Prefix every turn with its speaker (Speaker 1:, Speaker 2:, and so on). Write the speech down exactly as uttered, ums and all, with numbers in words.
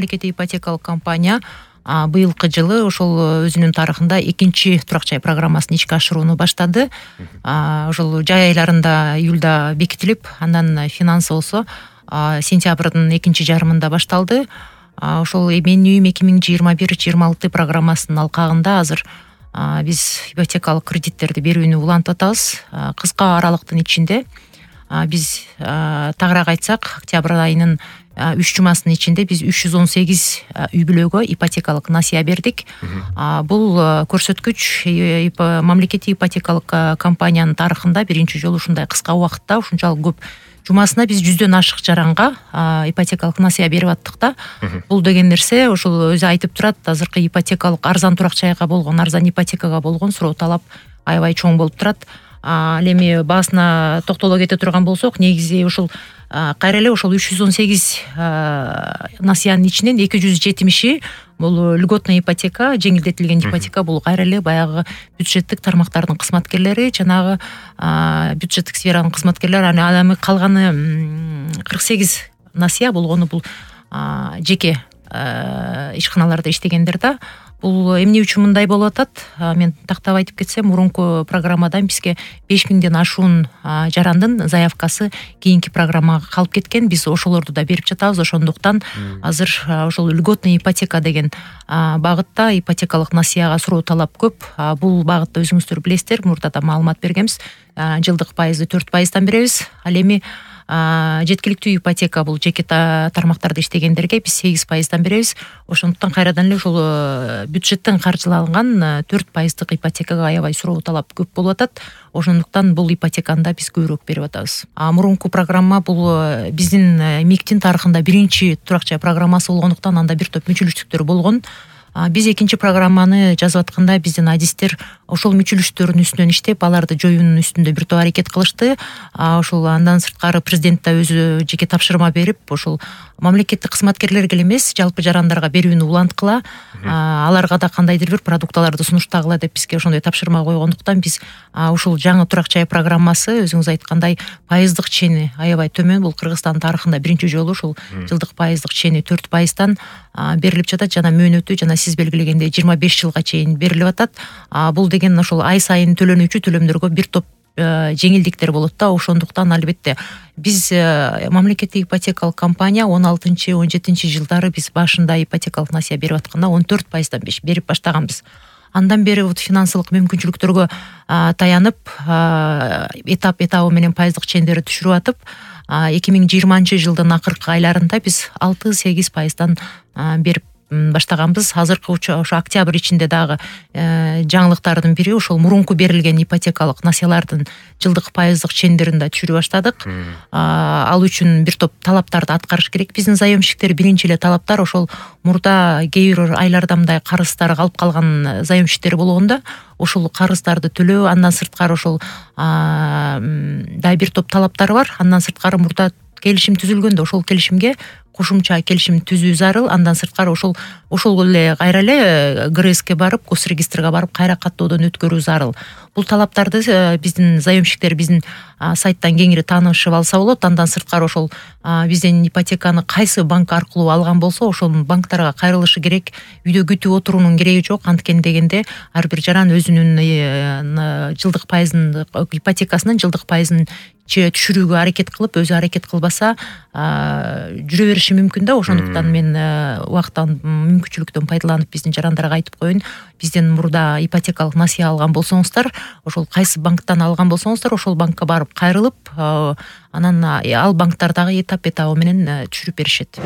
Speaker 1: мамлекеттик ипотекалык компания быйылкы жылы ошол өзүнүн тарыхында экинчи турак жай программасын ишке ашырууну баштады. Ошол жай айларында июлда бекитилип, андан финансы болсо сентябрдын экинчи жарымында башталды. Ошол менин үйүм эки миң жыйырма бир жыйырма алты программасынын алкагында азыр биз ипотекалык кредиттерди берүүнү улантып атабыз. Кыска аралыктын ичинде биз тагыраак айтсак, октябрь айынын үч жумасынын ичинде биз үч жүз он сегиз үй бүлөгө ипотекалык насыя бердик. Бул көрсөткүч мамлекеттик ипотекалык компаниянын тарыхында биринчи жолу ушундай кыска убакытта ушунчалык көп жумасына биз жүздөн ашык жаранга ипотекалык насыя берип аттык да. Бул деген нерсе ошол өзү айтып турат, азыркы ипотекалык арзан турак жайга болгон, арзан ипотекага болгон суроо талап аябай чоң болуп турат. Ал эми баасына токтоло кете турган болсок, негизи ушул кайра эле ошол үч жүз он сегиз насыянын ичинен эки жүз жетимиши бул льготный ипотека, жеңилдетилген ипотека. Бул кайра эле баягы бюджеттик тармактардын кызматкерлери, жанагы бюджеттик сферанын кызматкерлери. Ал эми калганы кырк сегиз насыя болгону бул жеке ишканаларда иштегендер да. Бул эмне үчүн мындай болуп атат? Мен тактап айтып кетсем, мурунку программадан бизге беш миңден ашуун жарандын заявкасы кийинки программага калып кеткен. Биз ошолорду да берип жатабыз. Ошондуктан азыр ошол льготный ипотека деген багытта ипотекалык насыяга суроо талап көп. Бул багытта өзүңүздөр билесиздер, мурда да маалымат бергенбиз. Жылдык пайызды төрт пайыздан беребиз. Ал эми жеткиликтүү ипотека бул жеке тармактарда иштегендерге биз сегиз пайыздан беребиз. Ошондуктан кайрадан эле ошол бюджеттен каржыланган төрт пайыздык ипотекага аябай суроо талап көп болуп атат. Ошондуктан бул ипотеканы да биз көбүрөөк берип атабыз. Мурунку программа бул биздин МИКтин тарыхында биринчи турак жай программасы болгондуктан анда бир топ мүчөлүштүктөр болгон. Биз экинчи программаны жазып атканда биздин адистер ошол мүчөлүштөрдүн үстүнөн иштеп, аларды жоюунун үстүндө бир топ аракет кылышты. Ошол андан сырткары президент да өзү жеке тапшырма берип, ошол мамлекеттик кызматкерлерге эле эмес, жалпы жарандарга берүүнү уланткыла, аларга да кандайдыр бир продукталарды сунуштагыла деп бизге ошондой тапшырма койгондуктан биз ушул жаңы турак жай программасы өзүңүз айткандай пайыздык чени аябай төмөн. Бул Кыргызстан тарыхында биринчи жолу ушул жылдык пайыздык чени төрт пайыздан берилип жатат. Жана мөөнөтү жана сиз белгилегендей жыйырма беш жылга чейин берилип атат. Бул деген ошол ай сайын төлөнүүчү төлөмдөргө бир топ жеңилдиктер болот да. Ошондуктан албетте биз мамлекеттик ипотекалык компания он алтынчы он жетинчи жылдары биз башында ипотекалык насыя берип атканда он төрт пайыздан берип баштаганбыз. Андан бери вот финансылык мүмкүнчүлүктөргө таянып, этап этабы менен пайыздык чендерди түшүрүп атып, эки миң жыйырманчы жылдын акыркы айларында биз алты сегиз пайыздан берип баштаганбыз. Азыркы ошо октябрь ичинде дагы жаңылыктардын бири ошол мурунку берилген ипотекалык насыялардын жылдык пайыздык чендерин да түшүрө баштадык. Ал үчүн бир топ талаптарды аткарыш керек. Биздин заемщиктер биринчи эле талаптар ошол мурда кээ бир айларда мындай карыздары калып калган заемщиктер болгондо ошол карыздарды төлөө, андан сырткары ошол да бир топ талаптары бар. Андан сырткары мурда келишим түзүлгөндө ошол келишимге кошумча келишим түзүү зарыл. Андан сырткары ошол ошол эле кайра эле ГРСке барып, госрегистрге барып кайра каттоодон өткөрүү зарыл. Бул талаптарды биздин заемщиктер биздин сайттан кеңири таанышып алса болот. Андан сырткары ошол бизден ипотеканы кайсы банк аркылуу алган болсо, ошол банктарга кайрылышы керек. Үйдө күтүп отуруунун кереги жок. Анткени дегенде ар бир жаран өзүнүн жылдык пайызын, ипотекасынын жылдык пайызын түшүрүүгө аракет кылып, өзү аракет кылбаса жүрө бериши мүмкүн да. Ошондуктан мен убакыттан мүмкүнчүлүктөн пайдаланып биздин жарандарга айтып коеюн, бизден мурда ипотекалык насыя алган болсоңуздар, ошол кайсы банктан алган болсоңуздар, ошол банкка барып кайрылып, анан ал банктардагы этап этабы менен түшүрүп беришет.